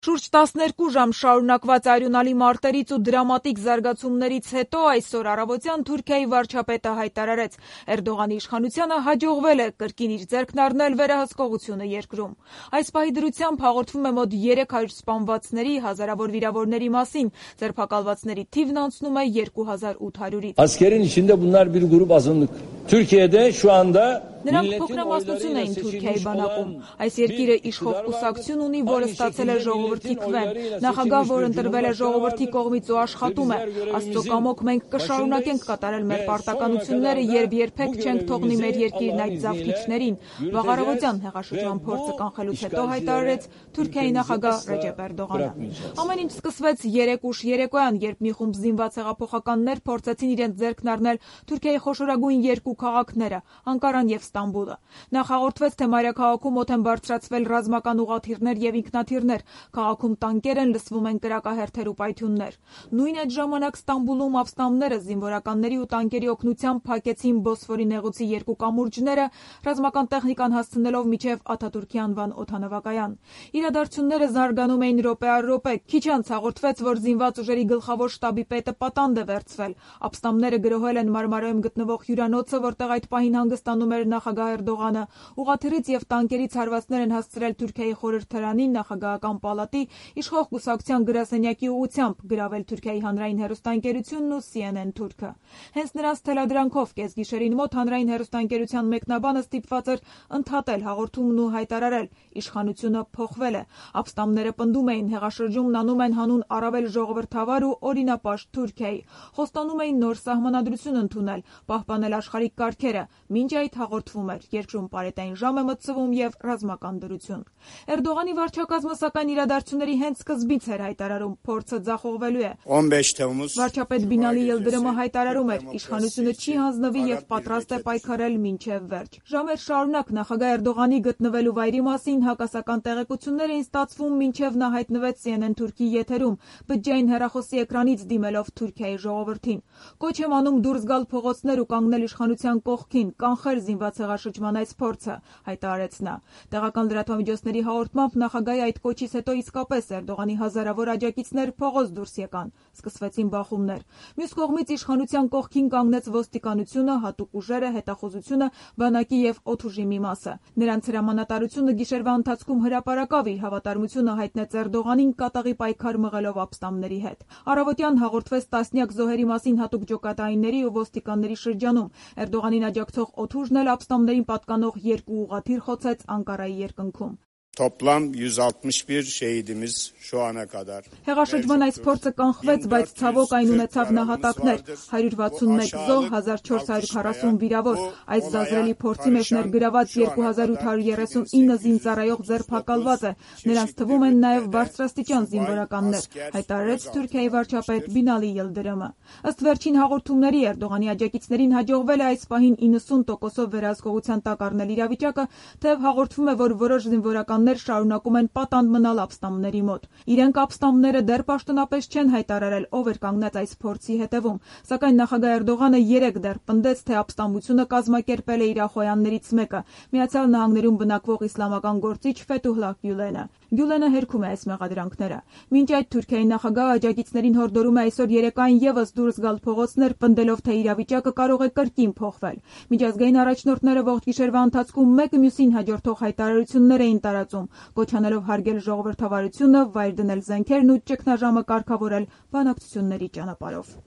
Շուրջ 12 ժամ շարունակված արյունալի մարտերից ու դրամատիկ զարգացումներից հետո այսօր առավոտյան Թուրքիայի վարչապետը հայտարարեց, Էրդողանի իշխանությանը հաջողվել է կրկին իր ձեռքն առնել վերահսկողությունը երկրում։ Այս պահի դրությամբ հաղորդվում է մոտ 300 սպանվածների, հազարավոր վիրավորների մասին, ձերբակալվածների թիվն անցնում է 2800-ից։ Askerin içinde bunlar bir grup azınlık. Türkiye'de şu anda Նրանք փոքրամասնություն էին Թուրքիայի բանակում։ Այս երկիրը իշխող կուսակցություն ունի, որը ստացել է ժողովրդի քվեն։ Նախագահ, որ ընտրվել է ժողովրդի կողմից ու աշխատում է։ Աստծո կամոք մենք կշարունակենք կատարել մեր պարտականությունները, երբ երբեք չենք թողնի մեր երկիրն այդ զավթիչներին։ Վաղ առավոտյան հեղաշրջման փորձը կանխելուց հետո հայտարարեց Թուրքիայի նախագահ Ռեջեփ Էրդողանը։ Ամեն ինչ սկսվեց 3 ուշ երեկոյան, երբ մի խումբ զինված հեղափոխականներ փորձեցին իրենց ձեռքն առնել Թուրքիայի խոշորագույն երկու քաղաքները՝ Անկարան եւ Ստամբուլը։ Նախ հաղորդվեց, թե մայրաքաղաքում մոտ են բարձրացվել ռազմական ուղղաթիռներ եւ ինքնաթիռներ, քաղաքում տանկեր են, լսվում են կրակահերթեր ու պայթյուններ։ Նույն այդ ժամանակ Ստամբուլում ապստամբները զինվորականների ու տանկերի օգնությամբ փակեցին Բոսֆորի նեղուցի երկու կամուրջները, ռազմական տեխնիկան հասցնելով մինչև Աթաթուրքի անվան օդանավակայան։ Իրադարձությունները զարգանում էին րոպե առ րոպե։ Քիչ անց հաղորդվեց, որ զինված ուժերի գլխավոր շտաբի պետը պատանդ է վերցվել։ Ապստամբները գրոհել են Մարմարայում գտնվող հյուրանոցը, որտեղ այդ պահին հանգստանում էր նախագահ Էրդողանը։ Ուղղաթիռից եւ տանկերից հարվածներ են հասցրել Թուրքիայի խորհրդարանի, նախագահական պալատի, իշխող կուսակցության գրասենյակի ուղղությամբ, գրավել Թուրքիայի հանրային հեռուստաընկերությունն ու CNN Թուրքը։ Հենց նրանց թելադրանքով կեսգիշերին մոտ հանրային հեռուստաընկերության մեկնաբանը ստիպված էր ընդհատել հաղորդումն ու հայտարարել. իշխանությունը փոխվել է։ Ապստամբները պնդում էին, հեղաշրջումն անում են հանուն առավել ժողովրդավար ու օրինապաշտ Թուրքիայի։ Խոստանում էին նոր սահմանադրություն ընդունել, պահպանել աշխարհիկ կարգերը։ Մինչ այդ հաղորդվում էր, երկրում պարետային ժամ է մտցվում եւ ռազմական դրություն։ Էրդողանի վարչակազմը սակայն իրադարձությունների հենց սկզբից էր հայտարարում, փորձը ձախողվելու է։ 15 թվականից Վարչապետ Բինալի Ելդրմը հայտարարում էր, իշխանությունը չի հանձնվի եւ պատրաստ է պայքարել մինչեւ վերջ։ Ժամեր շարունակ նախագահ Էրդողանի գտնվելու վայրի մասին հակասական տեղեկություններ էին ստացվում, մինչեւ նա հայտնվեց CNN Թուրքի եթերում, բջջային հեռախոսի էկրանից դիմելով Թուրքիայի ժողովրդին։ Կոչ եմ անում դուրս գալ փողոցներ ու կանգնել իշխանության կողքին, կանխել զինված հեղաշրջման այս փորձը, հայտարարեց նա։ Տեղական լրատվամիջոցների հաղորդմամբ նախագահի այդ կոչից հետո իսկապես Էրդողանի հազարավոր աջակիցներ փողոց դուրս եկան։ Սկսվեցին բախումներ։ Մյուս կողմից իշխանության կողքին կանգնեց ոստիկանությունը, հատուկ ուժերը, հետախուզությունը, բանակի եւ օդուժի մի մասը։ Նրանց հրամանատարությունը գիշերվա ընթացքում հրապարակավ իր հավատարմությունը հայտնեց Էրդողանին կատաղի պայքար մղելով ապստամբների հետ։ Առավոտյան հաղորդվեց տասնյակ զոհերի մասին հատուկ ջոկատայինների ու ոստիկանների շրջանում։ Էրդողանին աջակցող օդուժն էլ ապստամբներին պատկանող երկու ուղղաթիռ խոցեց Անկարայի երկնքում։ Toplam 161 şehidimiz şu ana kadar. Հեղաշրջման այս փորձը կանխվեց, բայց ցավոք այն ունեցավ նահատակներ՝ 161 զոհ, 1440 վիրավոր։ Այս զազրելի փորձի մեջ ներգրաված 2839 զինծառայող ձերբակալված է։ Նրանց թվում են նաև բարձրաստիճան զինվորականներ, հայտարարեց Թուրքիայի վարչապետ Բինալի Ելդրմը։ Ըստ վերջին հաղորդումների Էրդողանի աջակիցներին հաջողվել է այս պահին 90%-ով վերահսկողության տակ առնել իրավիճակը, թեև հաղորդվում է, որ որոշ զինվորականներ շարունակում են պատանդ մնալ ապստամբների մոտ։ Իրենք ապստամբները դեռ պաշտոնապես չեն հայտարարել, ով էր կանգնած այս փորձի հետևում, սակայն նախագահ Էրդողանը երեկ դեռ պնդեց, թե ապստամբությունը կազմակերպել է իր ախոյաններից մեկը՝ Միացյալ Նահանգներում բնակվող իսլամական գործիչ Ֆեթուհլահ Գյուլենը։ Գյուլենը հերքում է այս մեղադրանքները։ Մինչ այդ Թուրքիայի նախագահը աջակիցներին հորդորում է այսօր երեկոյան եւս դուրս գալ փողոցներ, պնդելով, թե իրավիճակը կարող է կրկին փոխվել։ Միջազգային առաջնորդները ողջ գիշերվա ընթացքում մեկը մյուսին հաջորդող հայտարարություններ էին տարածում, կոչանելով հարգել ժողովրդավարությունը, վայր դնել զենքերն ու ճգնաժամը կարգավորել բանակցությունների ճանապարհով։